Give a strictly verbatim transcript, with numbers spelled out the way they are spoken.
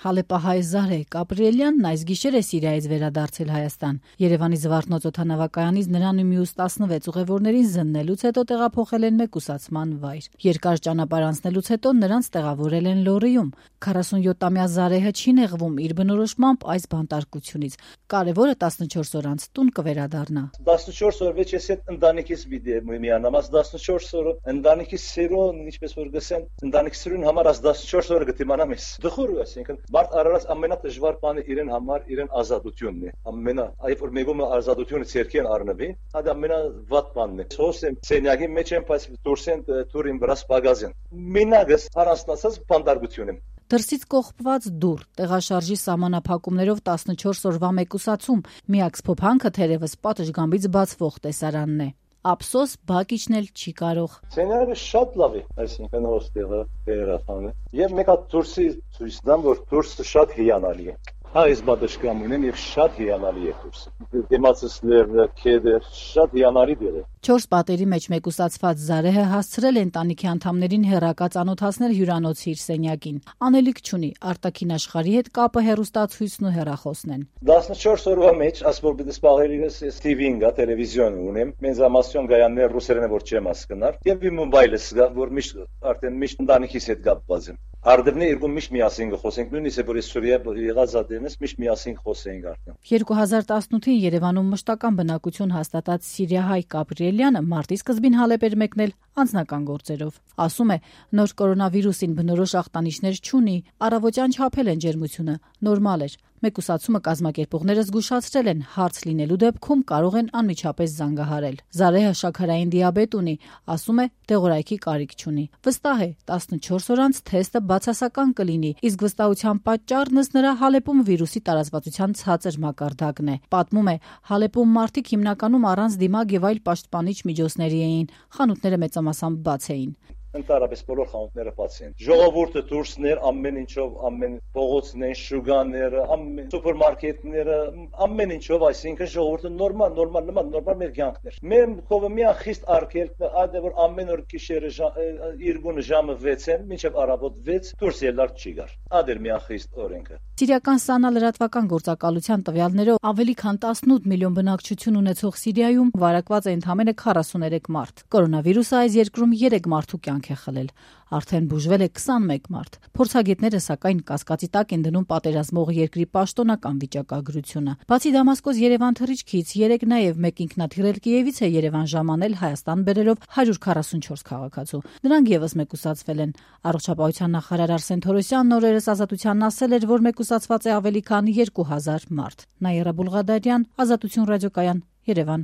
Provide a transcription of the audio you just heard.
Հալեպահայ Զարե Կապրիելյանն այս գիշեր է Սիրիայից վերադարձել Հայաստան։ Երևանի Զվարթնոց օդանավակայանից նրան ու մյուս տասնվեց ուղևորներին զննելուց հետո տեղափոխել են մեկուսացման վայր։ Երկար ճանապարհ անցնելուց հետո նրանց տեղավորել են Լոռիում։ քառասունյոթամյա Զարեհը չի նեղվում իր բնորոշմամբ այս բանտարկությունից։ Կարևորը տասնչորս օր անց տուն կվերադառնա։ տասնչորս օր վեճ ես այդ ընտանիքից միանամ, աս տասնչորս օր ընտանիքի սերուն, ինչպես որ գսեն, ընտանիքի սերուն համար աս տասնչորս օրը գտիմանամ ես։ Դխուր ես, ինքն Մարդ արարած ամենադժվար բանը իրեն համար իրեն ազատությունն է։ Ամենա, այբ որ մեկում ազատությունը ցերքեն առնվի, դա ամենավատ բանն է։ Սոսեմ սենյակի մեջ եմ, բայց դուրսեն դուրին վրա սպագազեն։ Մենագս առանցնացած բանդարգություն եմ։ Դրսից կողպված դուռ, տեղաշարժի սահմանափակումներով տասնչորս օրվա մեկուսացում, միակ սփոփանքը թերևս պատշգամբից բացվող տեսարանն է։ Ափսոս բակիչն էլ չի կարող։ Սենյակը շատ լավ է, այսինքն հոստելը, երախանը։ Եվ մեկ հատ դուրսի ցույց տամ, որ դուրսը շատ հիանալի է։ Հա, ես բադաշկամ ունեմ եւ շատ հիանալի է դուրսը։ Դեմացսները, քեդը, շատ հիանալի դեր է։ Չորս պատերի մեջ մեկուսացված Զարեհը հասցրել է ընտանիքի անդամներին հեռակա ծանոթացնել հյուրանոցի իր սենյակին։ Անելիք չունի, արտաքին աշխարհի հետ կապը հեռուստացույցն ու հեռախոսն են։ տասնչորս օրվա մեջ, ասպոր դες պահերից ես T V-ին գա, տելևիզիոն ունեմ, մենզամասյոն գայաններ ռուսերեն որ չեմ հասկնար, եւ իմ մոբայլս գա, որ միշտ արդեն միշտ ընտանիքիս հետ կապված եմ։ Արդյունքն երկու միշտ միասին խոսենք, նույնիսկ որ Սուրիա եղած ադենս միշտ միասին խոսենք արդեն։ երկու հազար տասնութին Երևանում մշտական բնակություն հաստատած սիրիահայ Կապրիելյանը մարտի սկզբին Հալեպ էր մեկնել անձնական գործերով։ Ասում է, նոր կորոնավիրուսին բնորոշ ախտանիշներ չունի, առավոտյան չափել են ջերմությունը, նորմալ էր։ Մեկուսացումը կազմակերպողները զգուշացրել են, հարց լինելու դեպքում կարող են անմիջապես զանգահարել։ Զարեհը շաքարային դիաբետ ունի, ասում է, դեղորայքի կարիք չունի։ Վստահ է, տասնչորս օր անց թեստը բացասական կլինի, իսկ վստահության պատճառն ըստ նրա Հալեպում վիրուսի տարածվածության ցածր մակարդակն է։ Պատմում է, Հալեպում մարդիկ հիմնականում առանց դիմակ եւ այլ պաշտպանիչ միջոցների էին, խանութները մեծամասամբ բաց էին։ Ընդհանրապես բոլոր խանութները բաց են։ Ժողովուրդը դուրսներ, ամեն ինչով, ամեն փողոցներ, շուգաները, ամեն սուպերմարկետները, ամեն ինչով, այսինքն ժողովուրդը նորմալ, նորմալ, նման նորմալ մեր կյանքներ։ Մեր կողմը միան խիստ արգելք, այդ որ ամեն օր գիշերը երկու ժամը վեցեն, մինչև առավոտ վեց դուրս ելար չի գար։ Այդ էր միան խիստ օրենքը։ Սիրիական ՍԱՆԱ լրատվական գործակալության տվյալներով ավելի քան տասնութ միլիոն բնակչություն ունեցող Սիրիայում վարակված է ընդամենը քառասուներեք մարդ։ Կորոնավիրուսը այս երկրում երեք մարդու կյանք է խլել։ Արդեն բուժվել է քսանմեկ մարդ։ Փորձագետները սակայն կասկածի տակ են դնում պատերազմող երկրի պաշտոնական վիճակագրությունը։ Բացի Դամասկոս-Երևան թռիչքից, երեք նաև մեկ ինքնաթիռել Կիևից է Երևան ժամանել Հայաստան բերելով հարյուր քառասունչորս քաղաքացու։ Նրանք եւս մեկուսացվել են։ Առողջապահության նախարար Արսեն Թորոսյանն օրերս Ազատությանն ասել էր, որ մեկուսացված է ավելի քան երկու հազար մարդ։ Նաիրա Բուլղադարյան, Ազատություն ռադիոկայան, Երևան։